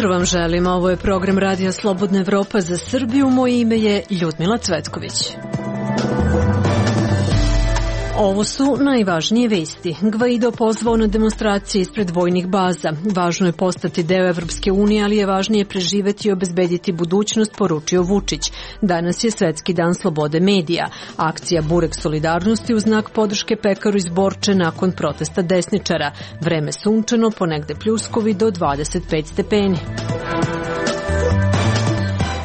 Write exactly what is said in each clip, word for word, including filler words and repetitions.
jutro vam želim, ovo je program Radija Slobodna Evropa za Srbiju, moje ime je Ljudmila Cvetković. Ovo su najvažnije vesti. Gvaido pozvao na demonstracije ispred vojnih baza. Važno je postati deo Evropske unije, ali je važnije preživeti i obezbediti budućnost, poručio Vučić. Danas je Svetski dan slobode medija. Akcija Burek solidarnosti u znak podrške pekaru iz Borče nakon protesta desničara. Vreme sunčano, ponegde pljuskovi do dvadeset pet stepeni.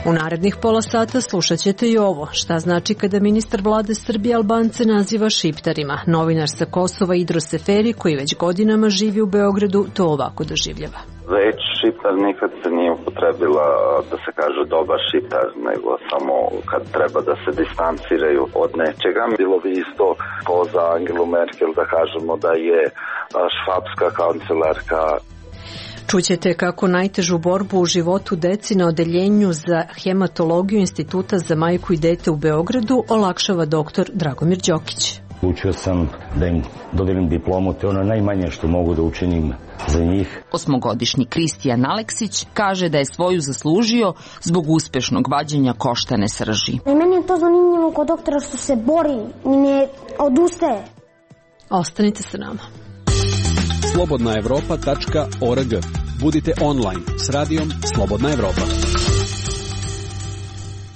U narednih pola sata slušat ćete i ovo. Šta znači kada ministar vlade Srbije Albance naziva šiptarima? Novinar sa Kosova Idro Seferi, koji već godinama živi u Beogradu, to ovako doživljava. Reč šiptar nikad se nije upotrebila da se kaže dobar šiptar, nego samo kad treba da se distanciraju od nečega. Bilo bi isto ko za Angelu Merkel da kažemo da je švapska kancelarka. Čućete kako najtežu borbu u životu deci na odeljenju za hematologiju Instituta za majku i dete u Beogradu olakšava doktor Dragomir Đokić. Učio sam da im dodelim diplomu, to je ono najmanje što mogu da učinim za njih. Osmogodišnji Kristijan Aleksić kaže da je svoju zaslužio zbog uspešnog vađenja koštane srži. I meni je to zanimljivo kod doktora što se bori i ne odustaje. Ostanite sa nama. slobodna evropa tačka org. Budite online s radijom Slobodna Evropa.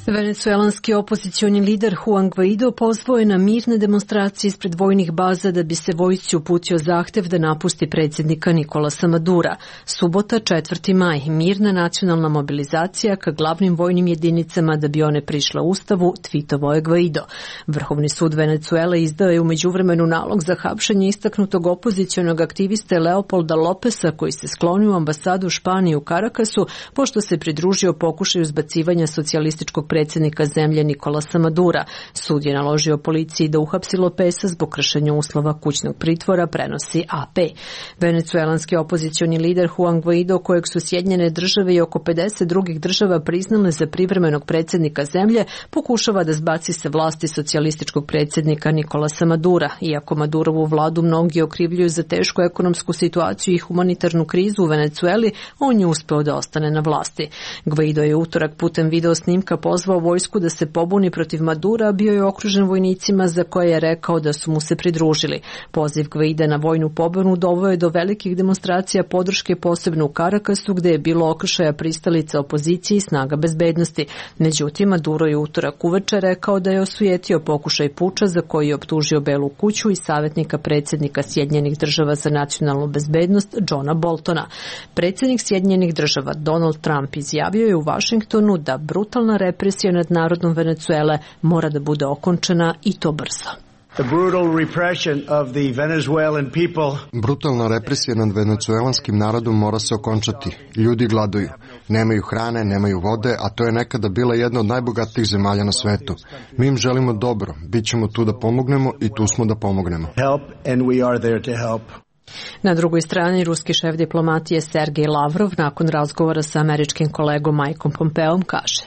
Venecuelanski opozicioni lider Juan Guaido pozvao je na mirne demonstracije ispred vojnih baza da bi se vojsci uputio zahtev da napusti predsjednika Nikolasa Madura. Subota, četvrti maj, mirna nacionalna mobilizacija ka glavnim vojnim jedinicama da bi one prišle ustavu, tvitovao je Guaido. Vrhovni sud Venecuele izdao je u međuvremenu nalog za hapšenje istaknutog opozicionog aktiviste Leopolda Lopesa, koji se sklonio u ambasadu Španije u Karakasu pošto se pridružio pokušaju zbacivanja socijalističkog predsjednika zemlje Nikolasa Madura. Sud je naložio policiji da uhapsi Lopesa zbog kršenja uslova kućnog pritvora, prenosi A P. Venecuelanski opozicioni lider Juan Guaido, kojeg su Sjedinjene države i oko pedeset drugih država priznale za privremenog predsjednika zemlje, pokušava da zbaci sa vlasti socijalističkog predsjednika Nikolasa Madura. Iako Madurovu vladu mnogi okrivljuju za tešku ekonomsku situaciju i humanitarnu krizu u Venecueli, on je uspeo da ostane na vlasti. Guaido je utorak putem video snimka pozvao vojsku da se pobuni protiv Madura, a bio je okružen vojnicima za koje je rekao da su mu se pridružili. Poziv Guaida na vojnu pobunu doveo je do velikih demonstracija podrške, posebno u Karakasu, gde je bilo okršaja pristalica opozicije i snaga bezbednosti. Međutim, Maduro je utorak uveče rekao da je osujetio pokušaj puča za koji je optužio Belu kuću i savjetnika predsjednika Sjedinjenih država za nacionalnu bezbednost Johna Boltona. Predsjednik Sjedinjenih država Donald Trump izjavio je u Vašingtonu da brutalna represija nad narodom Venecuele mora da bude okončana i to brzo. Brutalna represija nad venecuelanskim narodom mora se okončati. Ljudi gladuju. Nemaju hrane, nemaju vode, a to je nekada bila jedna od najbogatijih zemalja na svetu. Mi im želimo dobro. Bićemo tu da pomognemo i tu smo da pomognemo. Na drugoj strani, ruski šef diplomatije Sergej Lavrov nakon razgovora sa američkim kolegom Mikeom Pompeom kaže: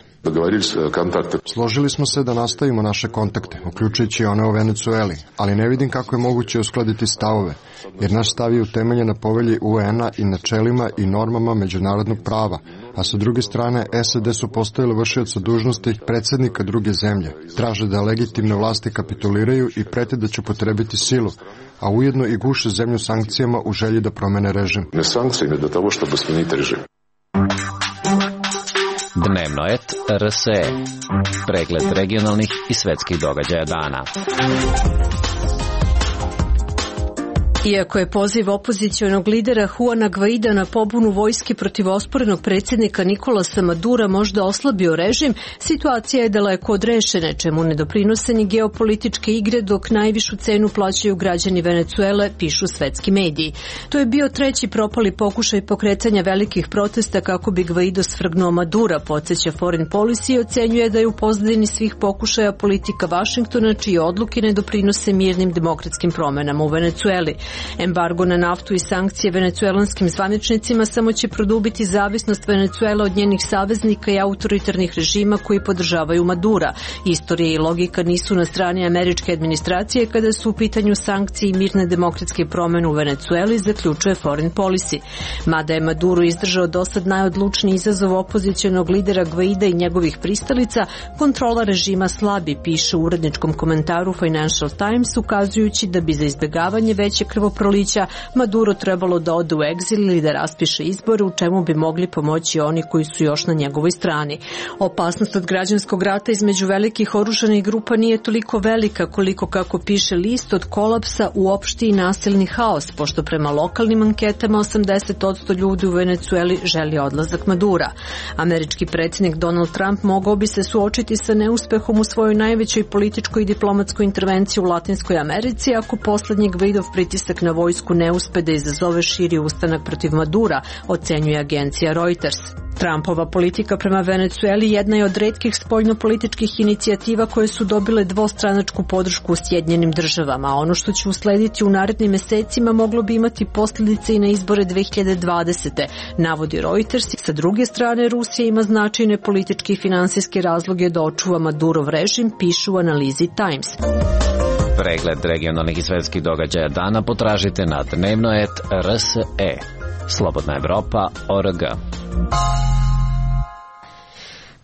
Složili smo se da nastavimo naše kontakte, uključujući one o Venecueli, ali ne vidim kako je moguće uskladiti stavove, jer naš stav je utemeljen na povelji U N-a i načelima i normama međunarodnog prava, a sa druge strane S A D su postavili vršioca dužnosti predsjednika druge zemlje, traže da legitimne vlasti kapituliraju i prete da će upotrebiti silu, a ujedno i guše zemlju sankcijama u želji da promene režim. Ne sankcijama do toga što smeniti režim. Dnevnoet R S E. Pregled regionalnih i svetskih događaja dana. Iako je poziv opozicionog lidera Juana Guaida na pobunu vojske protiv osporenog predsjednika Nikolasa Madura možda oslabio režim, situacija je daleko od rešene, čemu ne doprinose ni geopolitičke igre, dok najvišu cenu plaćaju građani Venecuele, pišu svetski mediji. To je bio treći propali pokušaj pokretanja velikih protesta kako bi Guaido svrgnuo Madura, podsjeća Foreign Policy i ocenjuje da je u pozadini svih pokušaja politika Vašingtona, čije odluke ne doprinose mirnim demokratskim promenama u Venecueli. Embargo na naftu i sankcije venecuelanskim zvaničnicima samo će produbiti zavisnost Venecuele od njenih saveznika i autoritarnih režima koji podržavaju Madura. Istorija i logika nisu na strani američke administracije kada su u pitanju sankcije i mirne demokratske promjene u Venecueli, zaključuje Foreign Policy. Mada je Maduro izdržao dosad najodlučniji izazov opozicionog lidera Gvaida i njegovih pristalica, kontrola režima slabi, piše u uredničkom komentaru Financial Times, ukazujući da bi za izbjegavanje veće krvoprolića Maduro trebalo da ode u egzil ili da raspiše izbore, u čemu bi mogli pomoći oni koji su još na njegovoj strani. Opasnost od građanskog rata između velikih oružanih grupa nije toliko velika koliko, kako piše list, od kolapsa u opšti i nasilni haos, pošto prema lokalnim anketama osamdeset posto ljudi u Venecueli želi odlazak Madura. Američki predsjednik Donald Trump mogao bi se suočiti sa neuspehom u svojoj najvećoj političkoj i diplomatskoj intervenciji u Latinskoj Americi ako poslednji Gvaidov pritisak na vojsku ne uspe da izazove širi ustanak protiv Madura, ocenjuje agencija Reuters. Trumpova politika prema Venecueli jedna je od retkih spoljnopolitičkih inicijativa koje su dobile dvostranačku podršku u Sjedinjenim državama, a ono što će uslediti u narednim mesecima moglo bi imati posljedice i na izbore dve hiljade dvadesete. navodi Reuters. Sa druge strane, Rusija ima značajne političke i finansijske razloge da očuva Madurov režim, pišu u analizi Times. Pregled regionalnih i svetskih događaja dana potražite na dnevnoet R S E. Slobodna Evropa, O R G.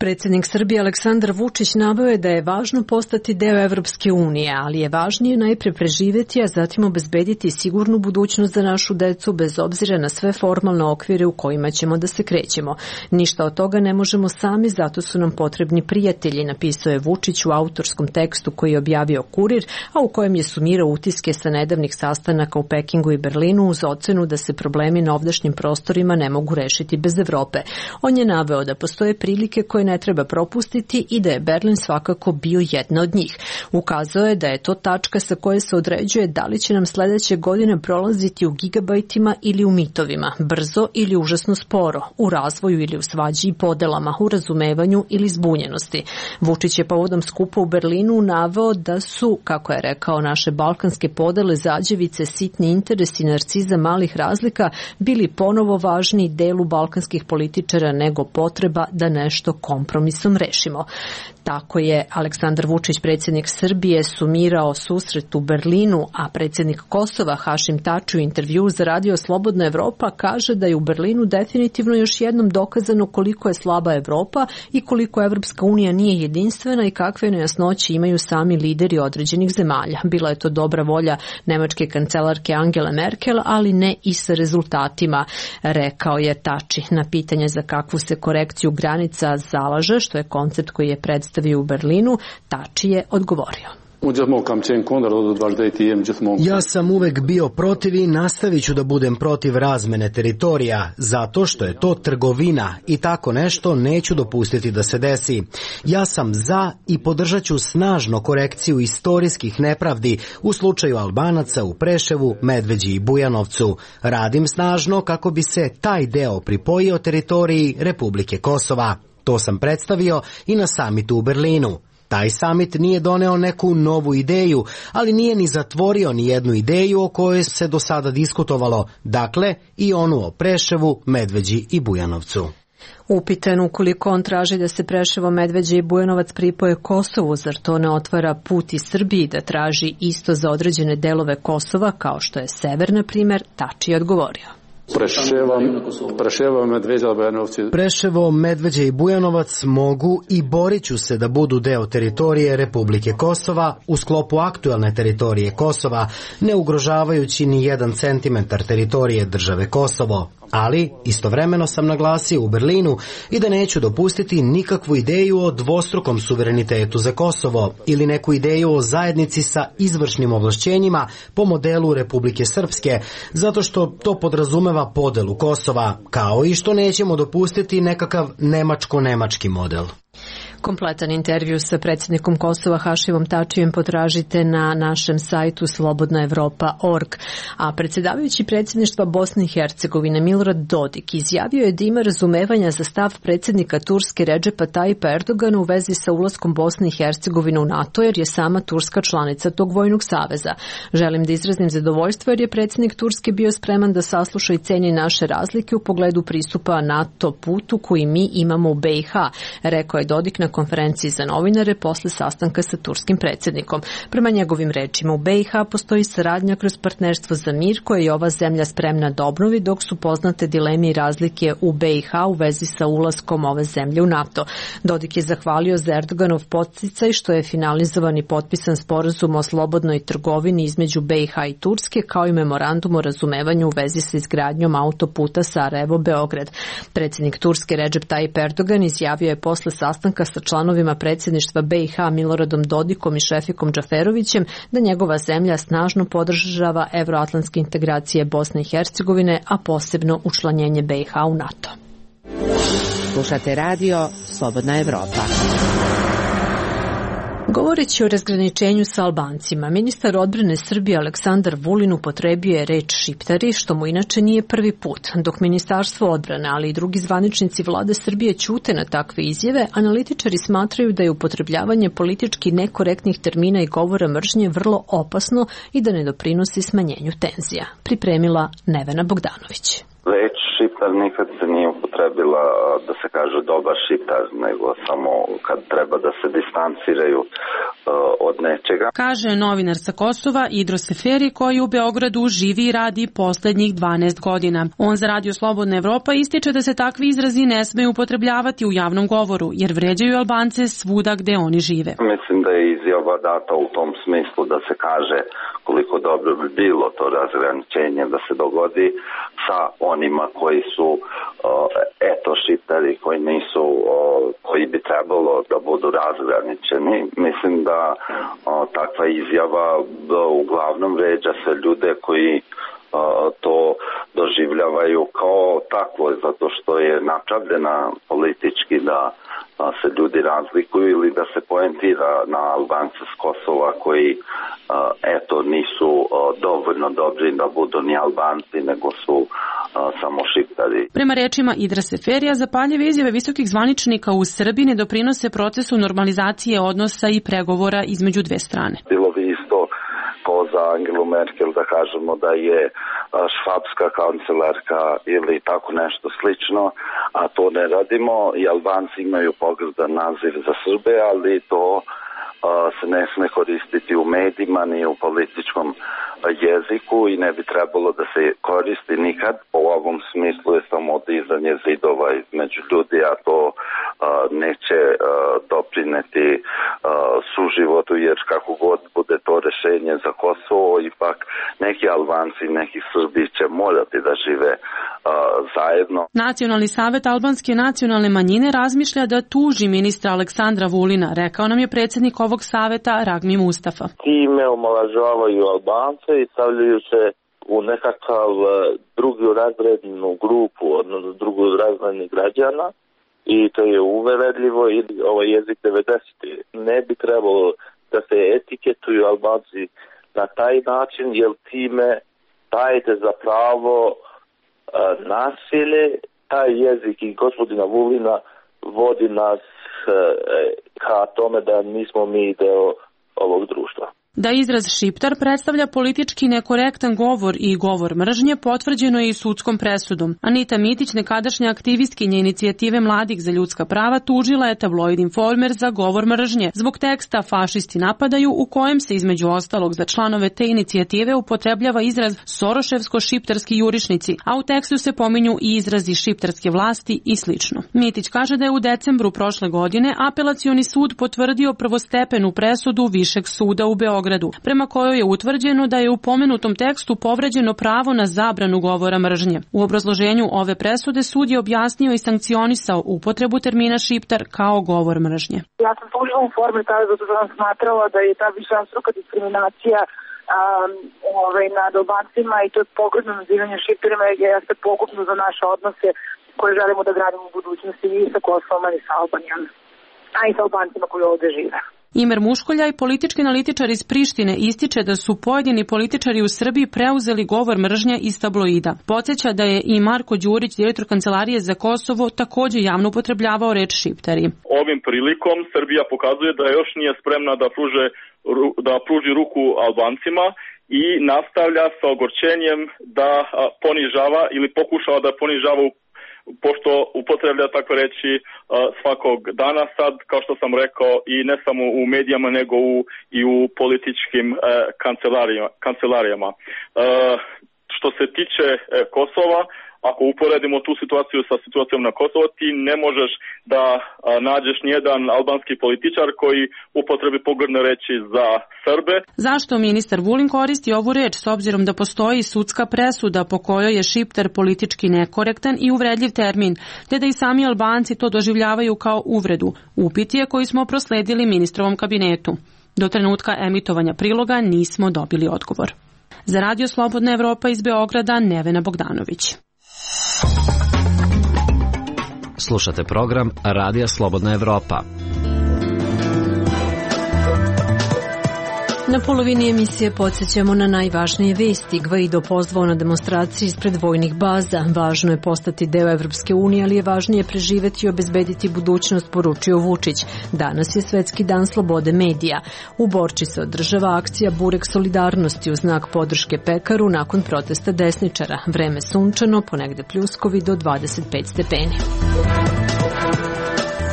Predsjednik Srbije Aleksandar Vučić naveo je da je važno postati deo Evropske unije, ali je važnije najpre preživjeti, a zatim obezbediti sigurnu budućnost za našu decu bez obzira na sve formalne okvire u kojima ćemo da se krećemo. Ništa od toga ne možemo sami, zato su nam potrebni prijatelji, napisao je Vučić u autorskom tekstu koji je objavio Kurir, a u kojem je sumirao utiske sa nedavnih sastanaka u Pekingu i Berlinu uz ocenu da se problemi na ovdašnjim prostorima ne mogu rešiti bez Evrope. On je naveo da postoje prilike koje ne treba propustiti i da je Berlin svakako bio jedna od njih. Ukazao je da je to tačka sa koje se određuje da li će nam sledeće godine prolaziti u gigabajtima ili u mitovima, brzo ili užasno sporo, u razvoju ili u svađi i podelama, u razumevanju ili zbunjenosti. Vučić je povodom skupa u Berlinu naveo da su, kako je rekao, naše balkanske podele, zađevice, sitni interesi, narciza malih razlika bili ponovo važniji delu balkanskih političara nego potreba da nešto kompromisom rešimo. Tako je Aleksandar Vučić, predsjednik Srbije, sumirao susret u Berlinu, a predsjednik Kosova Hašim Tači u intervju za radio Slobodna Evropa kaže da je u Berlinu definitivno još jednom dokazano koliko je slaba Evropa i koliko Evropska unija nije jedinstvena i kakve nejasnoće imaju sami lideri određenih zemalja. Bila je to dobra volja nemačke kancelarke Angele Merkel, ali ne i sa rezultatima, rekao je Tači. Na pitanje za kakvu se korekciju granica zalaže, što je koncept koji je predstavio u Berlinu, Tači je odgovorio. Ja sam uvek bio protiv i nastavit ću da budem protiv razmene teritorija, zato što je to trgovina i tako nešto neću dopustiti da se desi. Ja sam za i podržat ću snažno korekciju istorijskih nepravdi u slučaju Albanaca u Preševu, Medveđi i Bujanovcu. Radim snažno kako bi se taj deo pripojio teritoriji Republike Kosova. To sam predstavio i na samitu u Berlinu. Taj samit nije doneo neku novu ideju, ali nije ni zatvorio ni jednu ideju o kojoj se do sada diskutovalo, dakle i onu o Preševu, Medveđi i Bujanovcu. Upitan ukoliko on traži da se Preševo, Medveđa i Bujanovac pripoje Kosovu, zar to ne otvara put i Srbiji da traži isto za određene delove Kosova, kao što je sever, na primjer, Tači je odgovorio. Preševo, Medveđa i Bujanovac mogu i borit ću se da budu deo teritorije Republike Kosova u sklopu aktuelne teritorije Kosova, ne ugrožavajući ni jedan centimetar teritorije države Kosovo. Ali istovremeno sam naglasio u Berlinu i da neću dopustiti nikakvu ideju o dvostrukom suverenitetu za Kosovo ili neku ideju o zajednici sa izvršnim ovlašćenjima po modelu Republike Srpske, zato što to podrazumeva podelu Kosova, kao i što nećemo dopustiti nekakav nemačko-nemački model. Kompletan intervju sa predsjednikom Kosova Hašimom Tačijem potražite na našem sajtu slobodna evropa tačka org. A predsjedavajući predsjedništva Bosne i Hercegovine Milorad Dodik izjavio je da ima razumevanja za stav predsjednika Turske Redžepa Tajipa Erdogana u vezi sa ulaskom Bosne i Hercegovine u NATO, jer je sama Turska članica tog vojnog saveza. Želim da izrazim zadovoljstvo jer je predsjednik Turske bio spreman da sasluša i ceni naše razlike u pogledu pristupa NATO putu koji mi imamo u B i H, rekao je Dodik na konferenciji za novinare posle sastanka sa turskim predsjednikom. Prema njegovim rečima, u B i H postoji saradnja kroz partnerstvo za mir koje je ova zemlja spremna da obnovi, dok su poznate dileme i razlike u B i H u vezi sa ulaskom ove zemlje u NATO. Dodik je zahvalio za Erdoganov podsticaj što je finalizovan i potpisan sporazum o slobodnoj trgovini između B i H i Turske, kao i memorandum o razumevanju u vezi sa izgradnjom autoputa Sarajevo-Beograd. Predsjednik Turske Redžep Tajip Erdogan izjavio je posle sastanka sa članovima predsjedništva B i H Miloradom Dodikom i Šefikom Džaferovićem da njegova zemlja snažno podržava evroatlantske integracije Bosne i Hercegovine, a posebno učlanjenje B i H u NATO. Slušate radio Slobodna Evropa. Govoreći o razgraničenju sa Albancima, ministar odbrane Srbije Aleksandar Vulin upotrebio je reč šiptari, što mu inače nije prvi put. Dok Ministarstvo odbrane, ali i drugi zvaničnici vlade Srbije ćute na takve izjave, analitičari smatraju da je upotrebljavanje politički nekorektnih termina i govora mržnje vrlo opasno i da ne doprinosi smanjenju tenzija. Pripremila Nevena Bogdanović. Reč šiptar nikad se nije upotrebila da se kaže dobar šiptar, nego samo kad treba da se distanciraju uh, od nečega. Kaže novinar sa Kosova Idro Seferi, koji u Beogradu živi i radi poslednjih dvanaest godina. On za Radio Slobodna Evropa ističe da se takvi izrazi ne smeju upotrebljavati u javnom govoru, jer vređaju Albance svuda gde oni žive. Mislim da je izjava data u tom smislu da se kaže koliko dobro bi bilo to razgraničenje da se dogodi sa onima koji su uh, eto šiptari, koji nisu, uh, koji bi trebalo da budu razgraničeni. Mislim da uh, takva izjava uh, uglavnom vređa se ljude koji uh, to doživljavaju kao takvo, zato što je napravljena politički da uh, se ljudi razlikuju ili da se poentira na Albance s Kosova koji uh, eto nisu uh, dovoljno dobri da budu ni Albanci, nego su samo šiptari. Prema rečima Idra Seferija, zapaljive izjave visokih zvaničnika u Srbiji ne doprinose procesu normalizacije odnosa i pregovora između dve strane. Bilo bi isto kao za Angelu Merkel da kažemo da je švabska kancelarka ili tako nešto slično, a to ne radimo i Albanci imaju pogrdan naziv za Srbe, ali to se ne sme koristiti u medijima ni u političkom jeziku i ne bi trebalo da se koristi nikad. U ovom smislu je samo dizanje zidova između ljudi, a to uh, neće uh, doprineti uh, suživotu, jer kako god bude to rešenje za Kosovo, ipak neki Albanci i neki Srbi će morati da žive uh, zajedno. Nacionalni savet albanske nacionalne manjine razmišlja da tuži ministra Aleksandra Vulina, rekao nam je predsjednik ovog saveta Ragmi Mustafa. Time omalažavaju Albance i stavljaju se u nekakav drugu razrednu grupu, odnosno drugu razredni građana, i to je uveredljivo i ovaj jezik devedesetih. Ne bi trebalo da se etiketuju Albanci na taj način, jer time dajete za pravo nasilje. Taj jezik i gospodina Vulina vodi nas ka tome da nismo mi deo ovog društva. Da izraz šiptar predstavlja politički nekorektan govor i govor mržnje potvrđeno je i sudskom presudom. Anita Mitić, nekadašnja aktivistkinja inicijative Mladih za ljudska prava, tužila je tabloid Informer za govor mržnje zbog teksta Fašisti napadaju, u kojem se između ostalog za članove te inicijative upotrebljava izraz soroševsko-šiptarski jurišnici, a u tekstu se pominju i izrazi šiptarske vlasti i slično. Mitić kaže da je u decembru prošle godine Apelacioni sud potvrdio prvostepenu presudu Višeg suda u Beogradu, prema kojoj je utvrđeno da je u pomenutom tekstu povređeno pravo na zabranu govora mržnje. U obrazloženju ove presude sud je objasnio i sankcionisao upotrebu termina šiptar kao govor mržnje. Ja sam tužila u formi tada zato što sam smatrala da je ta višestruka diskriminacija um, ovaj, nad Albancima i to je pogrdno nazivanje šiptarima jer jeste pogubno za naše odnose koje želimo da gradimo u budućnosti i sa Kosovom i sa Albanijom. a i sa Albancima koji ovde žive. Imer Muškoljaj, politički analitičar iz Prištine, ističe da su pojedini političari u Srbiji preuzeli govor mržnje iz tabloida. Podsjeća da je i Marko Đurić, direktor Kancelarije za Kosovo, takođe javno upotrebljavao reč šiptari. Ovim prilikom Srbija pokazuje da još nije spremna da pruže, da pruži ruku Albancima i nastavlja sa ogorčenjem da ponižava ili pokušava da ponižava, pošto upotreblja tako reći svakog dana sad, kao što sam rekao, i ne samo u medijama, nego u, i u političkim kancelarijama. kancelarijama. Što se tiče Kosova, ako uporedimo tu situaciju sa situacijom na Kosovo, ti ne možeš da nađeš nijedan albanski političar koji upotrebi pogrdne reči za Srbe. Zašto ministar Vulin koristi ovu reč s obzirom da postoji sudska presuda po kojoj je šiptar politički nekorektan i uvredljiv termin, te da i sami Albanci to doživljavaju kao uvredu? Upit je koji smo prosledili ministrovom kabinetu. Do trenutka emitovanja priloga nismo dobili odgovor. Za Radio Slobodna Evropa iz Beograda, Nevena Bogdanović. Slušate program Radija Slobodna Evropa. Na polovini emisije podsjećamo na najvažnije vesti. Gvaido pozvao na demonstraciji ispred vojnih baza. Važno je postati deo Evropske unije, ali je važnije preživeti i obezbediti budućnost, poručio Vučić. Danas je Svetski dan slobode medija. U Borči se održava akcija Burek solidarnosti u znak podrške pekaru nakon protesta desničara. Vreme sunčano, ponegde pljuskovi do dvadeset pet stepeni.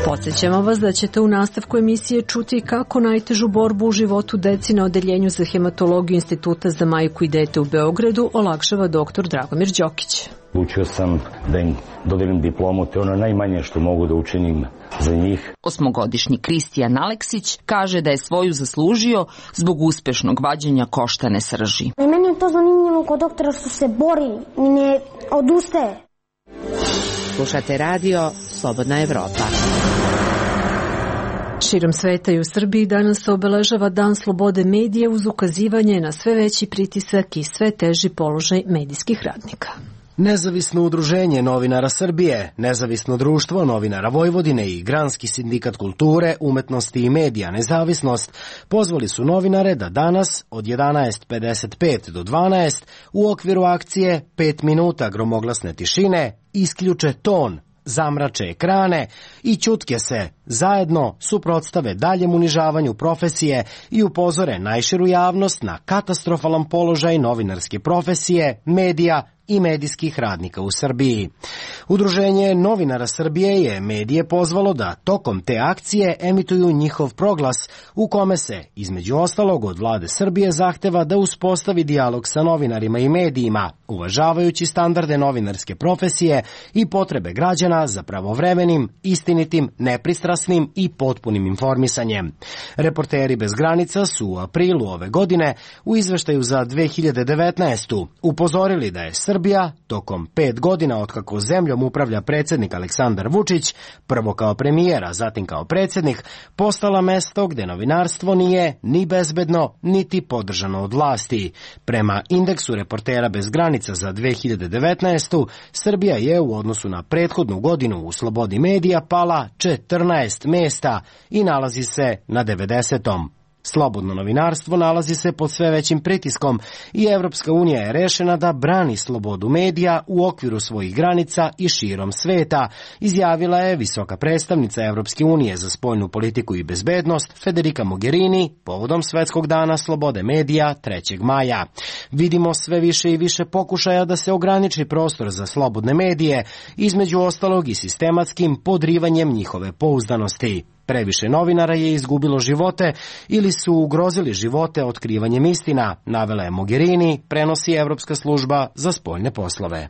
Podsjećamo vas da ćete u nastavku emisije čuti kako najtežu borbu u životu deci na odeljenju za hematologiju Instituta za majku i dete u Beogradu olakšava doktor Dragomir Đokić. Učio sam da im dodelim diplomu, te ono najmanje što mogu da učinim za njih. Osmogodišnji Kristijan Aleksić kaže da je svoju zaslužio zbog uspešnog vađenja koštane srži. I meni je to zanimljivo kod doktora što se bori i ne odustaje. Slušate radio Slobodna Evropa. Širom sveta i u Srbiji danas se obeležava Dan slobode medija uz ukazivanje na sve veći pritisak i sve teži položaj medijskih radnika. Nezavisno udruženje novinara Srbije, Nezavisno društvo novinara Vojvodine i Granski sindikat kulture, umetnosti i medija Nezavisnost pozvali su novinare da danas od jedanaest pedeset pet do dvanaest u okviru akcije pet minuta gromoglasne tišine isključe ton, zamrače ekrane i ćutke se zajedno suprotstave daljem unižavanju profesije i upozore najširu javnost na katastrofalan položaj novinarske profesije, medija i medijskih radnika u Srbiji. Udruženje novinara Srbije je medije pozvalo da tokom te akcije emituju njihov proglas u kome se, između ostalog, od vlade Srbije zahteva da uspostavi dijalog sa novinarima i medijima, uvažavajući standarde novinarske profesije i potrebe građana za pravovremenim, istinitim, nepristrasnim i potpunim informisanjem. Reporteri bez granica su u aprilu ove godine u izveštaju za dve hiljade devetnaestu. upozorili da je Srbija tokom pet godina otkako zemljom upravlja predsjednik Aleksandar Vučić, prvo kao premijer, a zatim kao predsjednik, postala mesto gde novinarstvo nije ni bezbedno, niti podržano od vlasti. Prema indeksu Reportera bez granica za dve hiljade devetnaestu. Srbija je u odnosu na prethodnu godinu u slobodi medija pala četrnaest mesta i nalazi se na devedesetom. Slobodno novinarstvo nalazi se pod sve većim pritiskom i Evropska unija je rešena da brani slobodu medija u okviru svojih granica i širom sveta, izjavila je visoka predstavnica Evropske unije za spoljnu politiku i bezbednost Federica Mogherini povodom Svetskog dana slobode medija trećeg maja. Vidimo sve više i više pokušaja da se ograniči prostor za slobodne medije, između ostalog i sistematskim podrivanjem njihove pouzdanosti. Previše novinara je izgubilo živote ili su ugrozili živote otkrivanjem istina, navela je Mogherini, prenosi Evropska služba za spoljne poslove.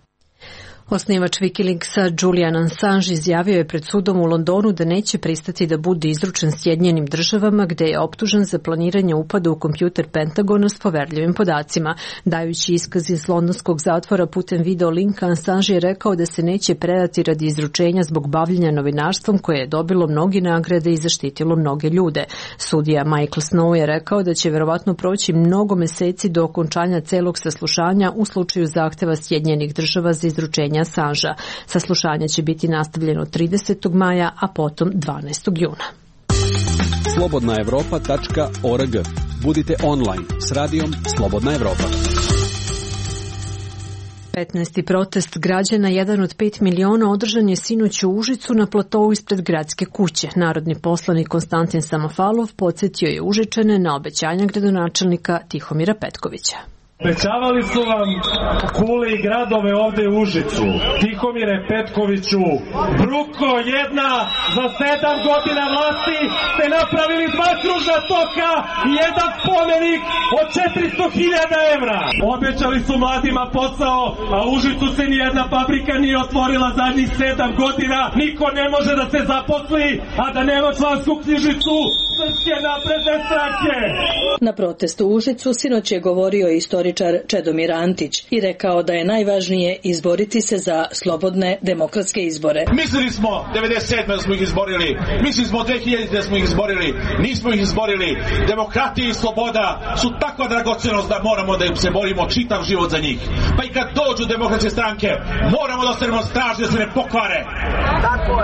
Osnivač Wikileaksa Julian Assange izjavio je pred sudom u Londonu da neće pristati da bude izručen Sjedinjenim državama, gde je optužen za planiranje upada u kompjuter Pentagona s poverljivim podacima. Dajući iskaz iz londonskog zatvora putem video linka, Assange je rekao da se neće predati radi izručenja zbog bavljenja novinarstvom koje je dobilo mnogi nagrade i zaštitilo mnoge ljude. Sudija Michael Snow je rekao da će verovatno proći mnogo meseci do okončanja celog saslušanja u slučaju zahteva Sjedinjenih država za izručenje Assangea. Saslušanje će biti nastavljeno tridesetog maja, a potom dvanaestog juna. slobodna evropa tačka org. Budite online s radijom Slobodna Evropa. petnaesti protest građana, jedan od pet miliona, održan je sinoć u Užicu na platovu ispred gradske kuće. Narodni poslanik Konstantin Samofalov podsjetio je Užičane na obećanja gradonačelnika Tihomira Petkovića. Obećavali su vam kule i gradove ovde u Užicu. Tihomire Petkoviću, bruko jedna, za sedam godina vlasti ste napravili dva kružna toka i jedan spomenik od četiristo hiljada evra. Obećali su mladima posao, a u Užicu se nijedna fabrika nije otvorila zadnjih sedam godina. Niko ne može da se zaposli, a da nema člansku knjižicu Srpske napredne stranke. Na protestu u Užicu sinoć je govorio istoričar Čedomir Antić i rekao da je najvažnije izboriti se za slobodne demokratske izbore. Mislili smo devedeset sedme da smo ih izborili, mislili smo dve hiljadite da smo ih izborili, nismo ih izborili. Demokratija i sloboda su takva dragocenost da moramo da im se borimo čitav život za njih. Pa i kad dođu demokratske stranke, moramo da ostanemo stražni, da se ne pokvare,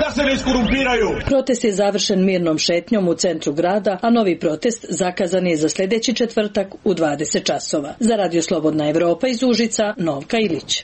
da se ne iskorumpiraju. Protest je završen mirnom šetnjom u centru grada, a novi protest zakazan je za sljedeći četvrtak u dvadeset časova. Za Radio Slobodna Evropa iz Užica, Novka Ilić.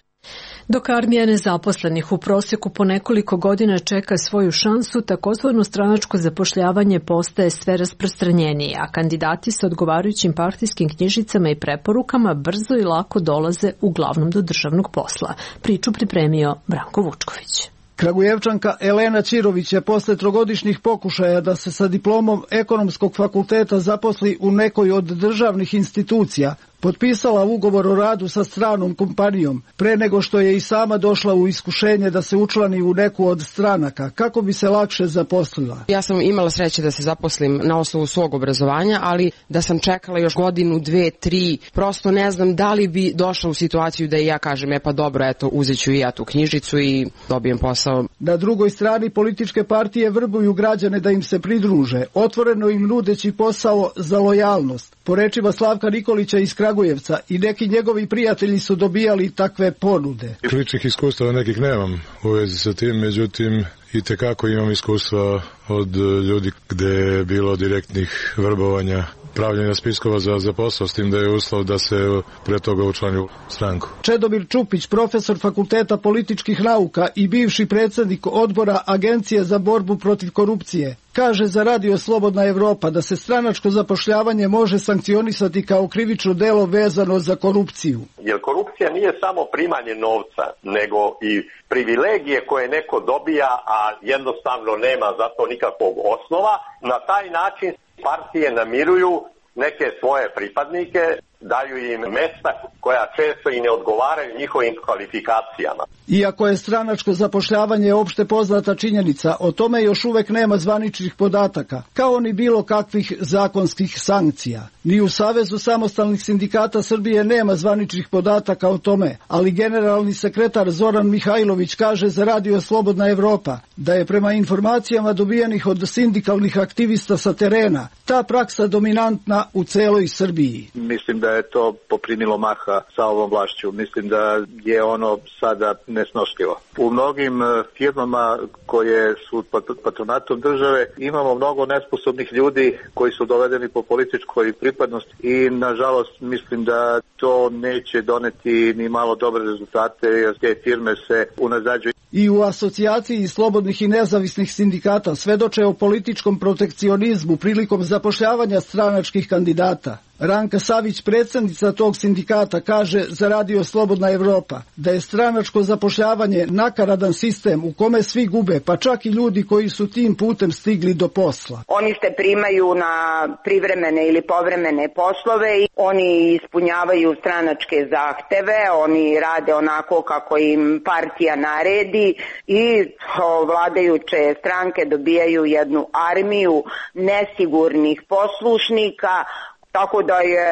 Dok armija nezaposlenih u prosjeku po nekoliko godina čeka svoju šansu, takozvano stranačko zapošljavanje postaje sve rasprostranjenije, a kandidati sa odgovarajućim partijskim knjižicama i preporukama brzo i lako dolaze uglavnom do državnog posla. Priču pripremio Branko Vučković. Kragujevčanka Elena Ćirović je posle trogodišnjih pokušaja da se sa diplomom ekonomskog fakulteta zaposli u nekoj od državnih institucija potpisala ugovor o radu sa stranom kompanijom pre nego što je i sama došla u iskušenje da se učlani u neku od stranaka kako bi se lakše zaposlila. Ja sam imala sreće da se zaposlim na osnovu svog obrazovanja, ali da sam čekala još godinu, dve, tri, prosto ne znam da li bi došla u situaciju da i ja kažem, e pa dobro, eto, uzet ću i ja tu knjižicu i dobijem posao. Na drugoj strani političke partije vrbuju građane da im se pridruže, otvoreno im nudeći posao za lojalnost. Po rečima Slavka Nikolića iz Kragujevca, i neki njegovi prijatelji su dobijali takve ponude. Ličnih iskustava nekih nemam u vezi sa tim, međutim i tekako imam iskustva od ljudi gde je bilo direktnih vrbovanja, pravljenja spiskova za, za posao, s tim da je uslov da se pre toga učlani u stranku. Čedomir Čupić, profesor Fakulteta političkih nauka i bivši predsjednik odbora Agencije za borbu protiv korupcije, kaže za Radio Slobodna Evropa da se stranačko zapošljavanje može sankcionisati kao krivično delo vezano za korupciju. Jer korupcija nije samo primanje novca, nego i privilegije koje neko dobija, a jednostavno nema za to nikakvog osnova. Na taj način partije namiruju neke svoje pripadnike, daju im mesta koja često i ne odgovaraju njihovim kvalifikacijama. Iako je stranačko zapošljavanje opšte poznata činjenica, o tome još uvek nema zvaničnih podataka, kao ni bilo kakvih zakonskih sankcija. Ni u Savezu samostalnih sindikata Srbije nema zvaničnih podataka o tome, ali generalni sekretar Zoran Mihajlović kaže za Radio Slobodna Evropa da je prema informacijama dobijenih od sindikalnih aktivista sa terena ta praksa dominantna u celoj Srbiji. Mislim da je to poprimilo maha sa ovom vlašću. Mislim da je ono sada nesnošljivo. U mnogim firmama koje su pod patronatom države imamo mnogo nesposobnih ljudi koji su dovedeni po političkoj pripadnosti i nažalost mislim da to neće doneti ni malo dobre rezultate jer te firme se unazađuju. I u asocijaciji slobodnih i nezavisnih sindikata svedoče o političkom protekcionizmu prilikom zapošljavanja stranačkih kandidata. Ranka Savić, predsjednica tog sindikata, kaže za Radio Slobodna Evropa da je stranačko zapošljavanje nakaradan sistem u kome svi gube, pa čak i ljudi koji su tim putem stigli do posla. Oni se primaju na privremene ili povremene poslove i oni ispunjavaju stranačke zahteve, oni rade onako kako im partija naredi i vladajuće stranke dobijaju jednu armiju nesigurnih poslušnika. Tako da je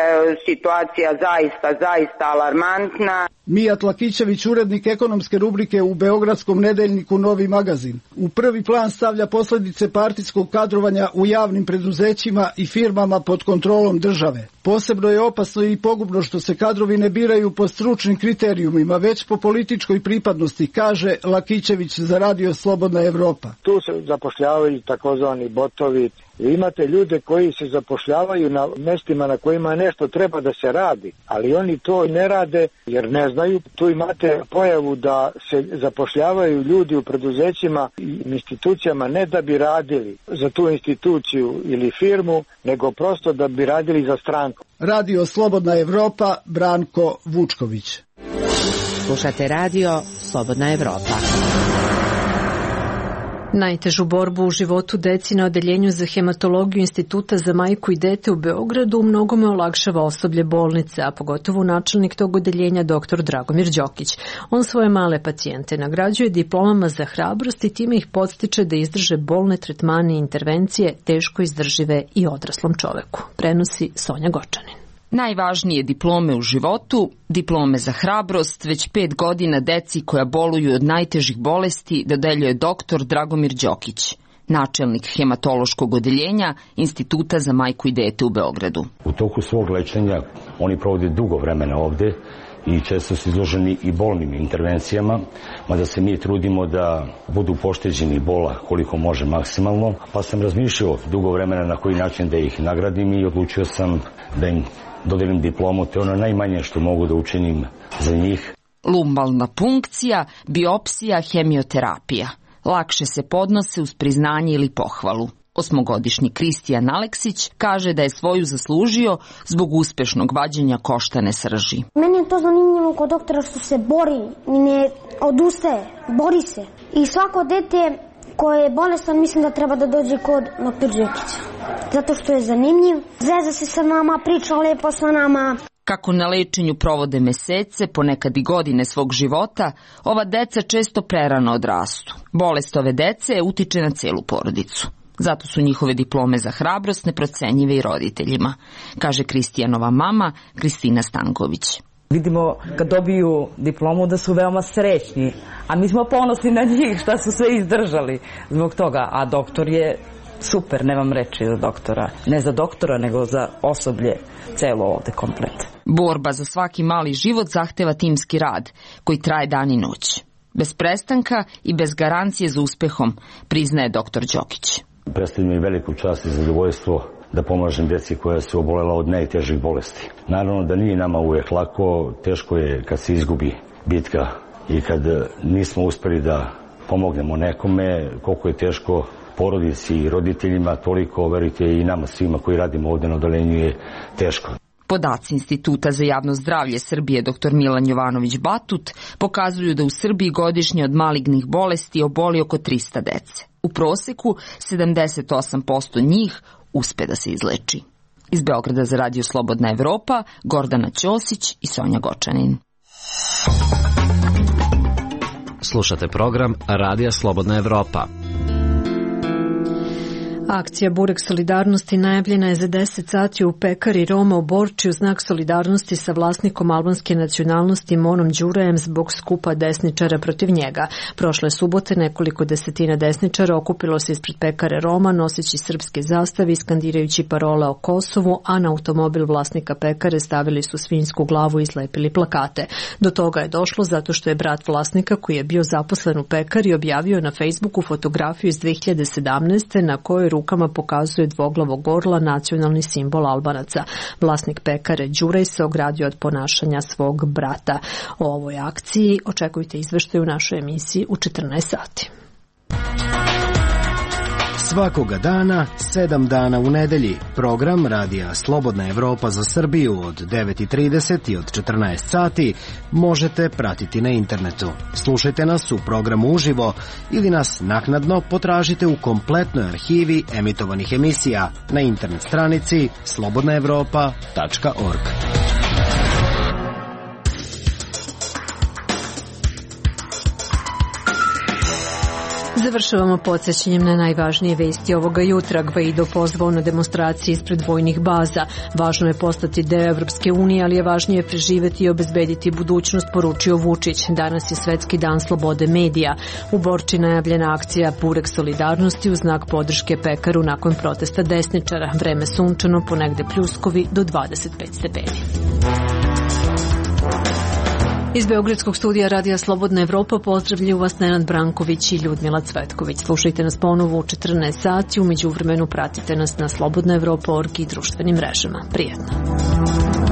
situacija zaista, zaista alarmantna. Mijat Lakićević, urednik ekonomske rubrike u beogradskom nedeljniku Novi magazin, u prvi plan stavlja posljedice partijskog kadrovanja u javnim preduzećima i firmama pod kontrolom države. Posebno je opasno i pogubno što se kadrovi ne biraju po stručnim kriterijumima, već po političkoj pripadnosti, kaže Lakićević za Radio Slobodna Evropa. Tu se zapošljavaju takozvani botovi, Imate ljude koji se zapošljavaju na mestima na kojima nešto treba da se radi, ali oni to ne rade jer ne znaju. Tu imate pojavu da se zapošljavaju ljudi u preduzećima i institucijama ne da bi radili za tu instituciju ili firmu, nego prosto da bi radili za stranku. Radio Slobodna Evropa, Branko Vučković. Slušate radio Slobodna Evropa. Najtežu borbu u životu deci na odeljenju za hematologiju Instituta za majku i dete u Beogradu u mnogome olakšava osoblje bolnice, a pogotovo načelnik tog odeljenja dr. Dragomir Đokić. On svoje male pacijente nagrađuje diplomama za hrabrost i time ih podstiče da izdrže bolne tretmane i intervencije teško izdržive i odraslom čoveku. Prenosi Sonja Gočanin. Najvažnije diplome u životu, diplome za hrabrost, već pet godina deci koja boluju od najtežih bolesti dodeljuje dr. Dragomir Đokić, načelnik hematološkog odeljenja Instituta za majku i dete u Beogradu. U toku svog lečenja oni provode dugo vremena ovde i često su izloženi i bolnim intervencijama, mada se mi trudimo da budu pošteđeni bola koliko može maksimalno, pa sam razmišljao dugo vremena na koji način da ih nagradim i odlučio sam da im dodelim diplomu, to je ono najmanje što mogu da učinim za njih. Lumbalna punkcija, biopsija, hemioterapija. Lakše se podnose uz priznanje ili pohvalu. Osmogodišnji Kristijan Aleksić kaže da je svoju zaslužio zbog uspešnog vađenja koštane srži. Meni je to zanimljivo kod doktora što se bori, ne odustaje, bori se. I svako dete koje je bolestan mislim da treba da dođe kod doktora Đokića. Zato što je zanimljiv, zeza se sa nama, priča lepo sa nama. Kako na lečenju provode mesece, ponekad i godine svog života, ova deca često prerano odrastu. Bolest ove dece utiče na celu porodicu. Zato su njihove diplome za hrabrost neprocenjive i roditeljima, kaže Kristijanova mama Kristina Stanković. Vidimo kad dobiju diplomu da su veoma srećni, a mi smo ponosni na njih šta su sve izdržali zbog toga, a doktor je super, nemam reči za doktora. Ne za doktora, nego za osoblje celo ovde komplet. Borba za svaki mali život zahteva timski rad, koji traje dan i noć. Bez prestanka i bez garancije za uspehom, priznaje doktor Đokić. Predstavlja mi veliku čast i zadovoljstvo da pomažem deci koja su obolela od najtežih bolesti. Naravno da nije nama uvijek lako, teško je kad se izgubi bitka i kad nismo uspeli da pomognemo nekome, koliko je teško porodici i roditeljima, toliko, verujte, i nama svima koji radimo ovde na odeljenju je teško. Podaci Instituta za javno zdravlje Srbije dr. Milan Jovanović Batut pokazuju da u Srbiji godišnje od malignih bolesti oboli oko trista dece. U proseku sedamdeset osam posto njih uspe da se izleči. Iz Beograda za Radio Slobodna Evropa, Gordana Ćosić i Sonja Gočanin. Slušate program Radija Slobodna Evropa. Akcija Burek solidarnosti najavljena je za deset sati u pekari Roma u Borči u znak solidarnosti sa vlasnikom albanske nacionalnosti Monom Đurajem zbog skupa desničara protiv njega. Prošle subote nekoliko desetina desničara okupilo se ispred pekare Roma noseći srpske zastave i skandirajući parole o Kosovu, a na automobil vlasnika pekare stavili su svinjsku glavu i slepili plakate. Do toga je došlo zato što je brat vlasnika koji je bio zaposlen u pekari objavio na Facebooku fotografiju iz dve hiljade sedamnaeste. na kojoj rukama pokazuje dvoglavog orla, nacionalni simbol Albanaca. Vlasnik pekare Đuraj se ogradio od ponašanja svog brata. O ovoj akciji očekujte izveštaj u našoj emisiji u četrnaest sati. Svakoga dana, sedam dana u nedelji, program Radija Slobodna Evropa za Srbiju od devet i trideset i od četrnaest sati možete pratiti na internetu. Slušajte nas u programu uživo ili nas naknadno potražite u kompletnoj arhivi emitovanih emisija na internet stranici slobodna evropa tačka org. Završavamo podsjećanjem na najvažnije vesti ovoga jutra. Gvaido pozvao na demonstracije ispred vojnih baza. Važno je postati deo Evropske unije, ali je važnije preživeti i obezbediti budućnost, poručio Vučić. Danas je Svetski dan slobode medija. U Borči najavljena akcija Burek solidarnosti u znak podrške pekaru nakon protesta desničara. Vreme sunčano, ponegde pljuskovi do dvadeset pet stepeni. Iz Beogradskog studija Radija Slobodna Evropa pozdravljaju vas Nenad Branković i Ljudmila Cvetković. Slušajte nas ponovo u četrnaest sati, u međuvremenu pratite nas na slobodna evropa tačka org i društvenim mrežama. Prijetno.